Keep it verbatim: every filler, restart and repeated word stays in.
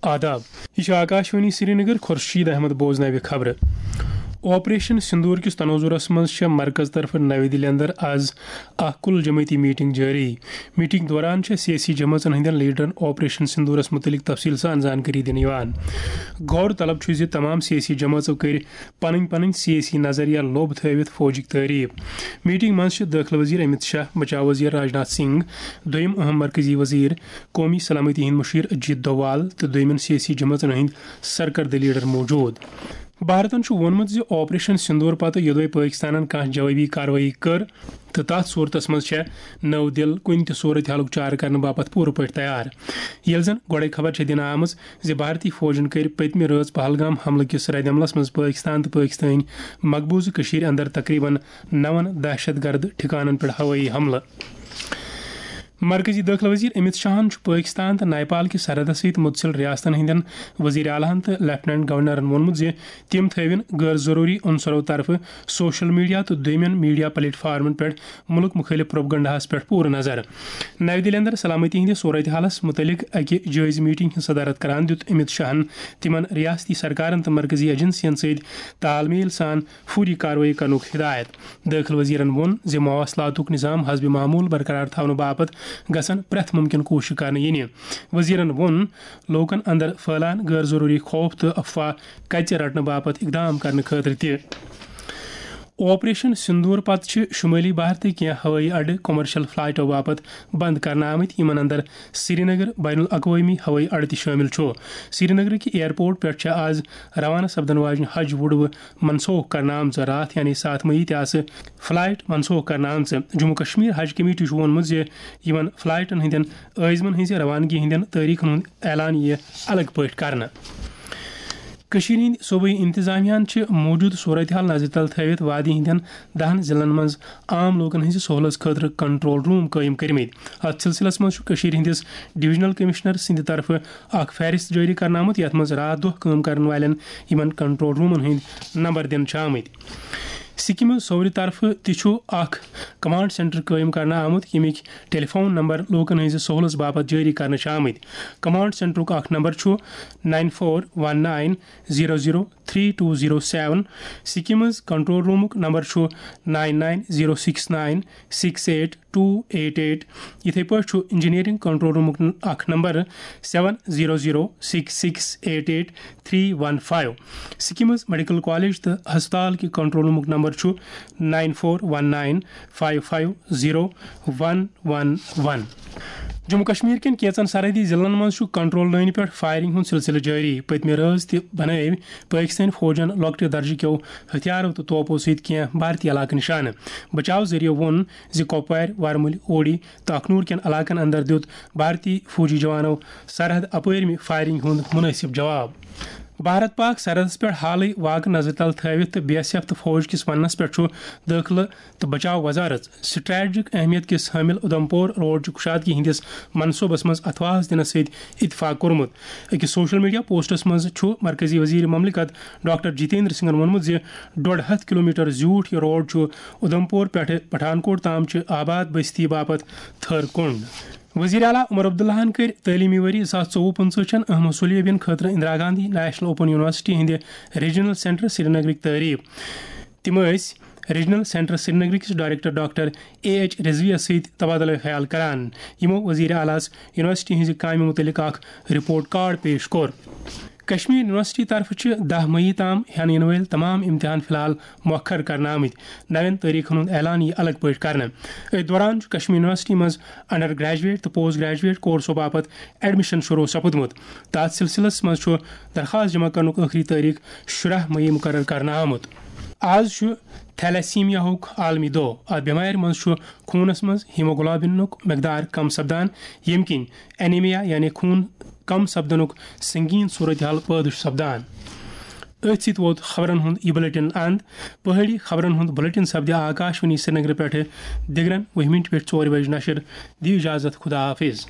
آداب، یہِ چھُ آکاشوانی سرینگر، خورشید احمد بوزناوِ خبرٕ۔ آپریشن سندور کِس تناظرس منٛز چھےٚ مرکز طرفہٕ نَوِ دِلہِ اندر از اکھ کُل جمٲعتی میٹنگ جٲری۔ میٹنگ دوران چھےٚ سیٲسی جمٲژن ہٕنٛدٮ۪ن لیڈرن آپریشن سندورس مُتعلق تفصیل سان زانکٲری دِنہٕ یِوان۔ غور طلب چھُ زِ تمام سیٲسی جمٲژو کٔرۍ پنٕنۍ پنٕنۍ سیٲسی نظریہ لوٚب تھٲوِتھ فوجٕکۍ تعریف۔ میٹنگ منٛز چھِ دٲخلہٕ وزیر امت شاہ، بچاو وزیر راجناتھ سنگھ، دوٚیِم اہم مرکزی وزیر، قومی سلامتی ہٕنٛدۍ مُشیر اجیت دوال تہٕ دوٚیمٮ۪ن سیٲسی جمٲژن ہٕنٛدۍ سرکردٕ لیڈر موجود۔ بھارتن چھُ ووٚنمُت زِ آپریشن سندور پتہٕ یوٚدوے پٲکستانن کانٛہہ جوابی کاروٲیی کٔر، تہٕ تتھ صورتس منٛز چھےٚ نٔو دِل کُنہِ تہِ صورت حالُک چارٕ کرنہٕ باپتھ پوٗرٕ پٲٹھۍ تیار۔ ییٚلہِ زن گۄڈے خبر چھےٚ دِنہٕ آمٕژ زِ بھارتی فوجن کٔرۍ پٔتمہِ رٲژ پہلگام حملہٕ کِس ردعملس منٛز پٲکستان تہٕ پٲکستٲنۍ مقبوضہٕ کٔشیٖرِ اندر تقریباً نون دہشت گرد ٹھکانن پٮ۪ٹھ ہوٲیی حملہٕ۔ مرکزی دٲخلہٕ وزیر امت شاہن چھُ پٲکستان تہٕ نیپال کِس سرحدس سۭتۍ متصل ریاستن ہٕنٛدٮ۪ن وزیر اعلیٰ ہن تہٕ لیفٹیننٹ گورنرن ووٚنمُت زِ تِم تھٲوِن غٲر ضروٗری عنصرو طرفہٕ سوشل میڈیا تہٕ دوٚیمٮ۪ن میڈیا پلیٹ فارمن پٮ۪ٹھ مُلک مُخٲلف پروپیگنڈاہَس پٮ۪ٹھ پوٗرٕ نظر۔ نَوِ دِلہِ اندر سلامتی ہٕنٛدِس صورتحالَس مُتعلِق اَکہِ جٲیزٕ میٹنگ ہٕنٛز صدارت کران دیُت امت شاہَن تِمَن ریاستی سرکارَن تہٕ مرکزی ایجنسیَن سۭتۍ تال میل سان فوری کاروٲیی کرنُک ہدایت۔ دٲخلہٕ وزیرَن ووٚن زِ مواصلاتُک نظام حسب معمول برقرار تھاونہٕ باپتھ گژھن پرٛٮ۪تھ مُمکِن کوٗشش کرنہٕ یِنہِ۔ وزیرَن ووٚن، لوٗکَن اندر پھٔہلان غٲر ضروٗری خوف تہٕ افواہ کَژِ رٹنہٕ باپتھ اقدام کرنہٕ خٲطرٕ تہِ۔ آپریشن سندور پتہٕ چھِ شمٲلی بھارتٕکۍ کینٛہہ ہوٲیی اڈٕ کمرشل فلائٹو باپتھ بند کرنہٕ آمٕتۍ، یِمن اندر سرینگر بین الاقوٲمی ہوٲیی اڈٕ تہِ شٲمِل چھُ۔ سرینگرٕکۍ ایئرپورٹ پٮ۪ٹھ چھےٚ آز روانہٕ سپدن واجنہِ حج وُڈوٕ منسوخ کرنہٕ آمژٕ۔ راتھ یعنی ستھ مئی تہِ آسہٕ فلائٹ منسوخ کرنہٕ آمژٕ۔ جموں کشمیر حج کمیٹی چھُ ووٚنمُت زِ یِمن فلائٹن ہٕنٛدٮ۪ن عٲزمن ہٕنٛزِ روانگی ہٕنٛدٮ۪ن تٲریخن ہُنٛد اعلان یِیہِ الگ پٲٹھۍ کرنہٕ۔ کٔشیٖرِ ہٕنٛدِ صوبٲیی انتظامیہ ہَن چھِ موٗجوٗدٕ صورتحال نظرِ تل تھٲوِتھ وادی ہٕنٛدٮ۪ن دَہَن ضلعن منٛز عام لوٗکَن ہٕنٛزِ سہوٗلژ خٲطرٕ کنٹرول روٗم قٲیِم کٔرمٕتۍ۔ اَتھ سلسلس منٛز چھُ کٔشیٖرِ ہٕنٛدِس ڈویژنل کمشنر سٕنٛدِ طرفہٕ اکھ فہرست جٲری کرنہٕ آمُت، یَتھ منٛز راتھ دۄہ کٲم کرن والٮ۪ن یِمن کنٹرول روٗمَن ہٕنٛدۍ نمبر دِنہٕ چھِ آمٕتۍ۔ سکیمہِ سورِ طرفہٕ تہِ چھُ اکھ کمانڈ سینٹر قٲیِم کرنہٕ آمُت، ییٚمِکۍ ٹیلی فون نمبر لوٗکَن ہٕنٛزِ سہوٗلژ باپتھ جٲری کرنہٕ چھِ آمٕتۍ۔ کمانڈ سینٹرُک اکھ نمبر چھُ nine four one nine zero zero three two zero seven۔ SKIMS control روٗمُک نمبر چھُ nine nine zero six nine six eight two eight eight۔ یِتھے پٲٹھۍ چھُ انجینئرنگ کنٹرول روٗمُک ن-، اکھ number seven zero zero six six eight eight three one five۔ SKIMS medical college تہٕ ہسپتال کہِ کنٹرول روٗمُک نمبر چھُ nine four one nine five five zero one one one۔ Jammu Kashmir کٮ۪ن کینٛژن سرحدی ضلعن منٛز چھُ کنٹرول لٲنہِ پٮ۪ٹھ فائرنگ ہُنٛد سلسلہٕ جٲری۔ پٔتمہِ رٲژ تہِ بنٲوۍ پٲکستٲنۍ فوجَن لۄکٹہِ درجہٕ کیو ہتھیارو تہٕ توپو سۭتۍ کینٛہہ بھارتی علاقہٕ نشانہٕ۔ بچاو ذٔریعہٕ ووٚن زِ کۄپوارِ، ورمُلۍ، اوڑی تہٕ اخنور کٮ۪ن علاقن اندر دیُت بھارتی فوجی جوانو سرحد اپٲرمہِ فائرنگ ہُنٛد مناسب جواب۔ بھارت پاک سرحدس پٮ۪ٹھ حالٕے واقعہٕ نظرِ تل تھٲوِتھ تہٕ بی ایس ایف تہٕ فوج کِس وننس پٮ۪ٹھ چھُ دٲخلہٕ تہٕ بچاو وزارت سٹریٹجک اہمیت کِس حٲمل ادھمپور روڈچہِ کشادگی ہٕنٛدِس منصوبس منٛز اتھواس دِنس سۭتۍ اتفاق کوٚرمُت۔ أکِس سوشل میڈیا پوسٹس منٛز چھُ مرکزی وزیر مملکت ڈاکٹر جتیندر سنگھن ووٚنمُت زِ ڈۄڈ ہتھ کلومیٹر زیوٗٹھ یہِ روڈ چھُ ادھمپور پٮ۪ٹھٕ پٹھان کوٹ تام چہِ آباد بستی باپتھ تھٔر کُنڈ۔ وزیر اعلیٰ عمر عبداللہن کٔرۍ تعلیمی ؤری زٕ ساس ژوٚوُہ پٕنٛژٕہ چٮ۪ن اہم حصولیٲبین خٲطرٕ Indira Gandhi national open university ہٕنٛدِ ریجنل سینٹر سرینگرٕکۍ تعریف۔ تِم ٲسۍ ریجنل سینٹر سرینگرٕ کِس ڈائریکٹر ڈاکٹر اے ایچ رضویَس سۭتۍ تبادلہ خیال کران، یِمو وزیر اعلیٰ ہَس یونیورسٹی ہٕنٛزِ کامہِ مُتعلق اکھ رپورٹ کارڈ پیش کوٚر۔ کشمیر یونیورسٹی طرفہٕ چھِ دَہ مئی تام ہٮ۪نہٕ یِنہٕ وٲلۍ تمام امتحان فی الحال مؤخر کرنہٕ آمٕتۍ۔ نوٮ۪ن تٲریخن ہُنٛد اعلان یِیہِ الگ پٲٹھۍ کرنہٕ۔ أتھۍ دوران چھُ کشمیر یونیورسٹی منٛز انڈر گریجویٹ تہٕ پوسٹ گریجویٹ کورسو باپتھ ایڈمیشن شروع سپُدمُت۔ تتھ سلسلس منٛز چھُ درخواست جمع کرنُک ٲخری تٲریخ شُراہ مئی مقرر کرنہٕ آمُت۔ آز چھُ تھیلیسیمیا ہُک عالمی دۄہ۔ اتھ بٮ۪مارِ منٛز چھُ خوٗنس منٛز ہیموگلوبنُک مقدار کم سپدان، ییٚمہِ کِنۍ انیمیا یعنی خوٗن کم سپدنُک سنگین صورتحال پٲدٕ چھُ سپدان۔ أتھۍ سۭتۍ ووت خبرن ہُنٛد یہِ بلیٹن اند۔ پہٲڑی خبرن ہُنٛد بلیٹن سپدِ آکاشوانی سرینگرٕ پٮ۪ٹھٕ دِگرن وُہہِ مِنٹہِ پٮ۪ٹھ ژورِ بجہِ نشر۔ دِیِو اجازت، خدا حافظ۔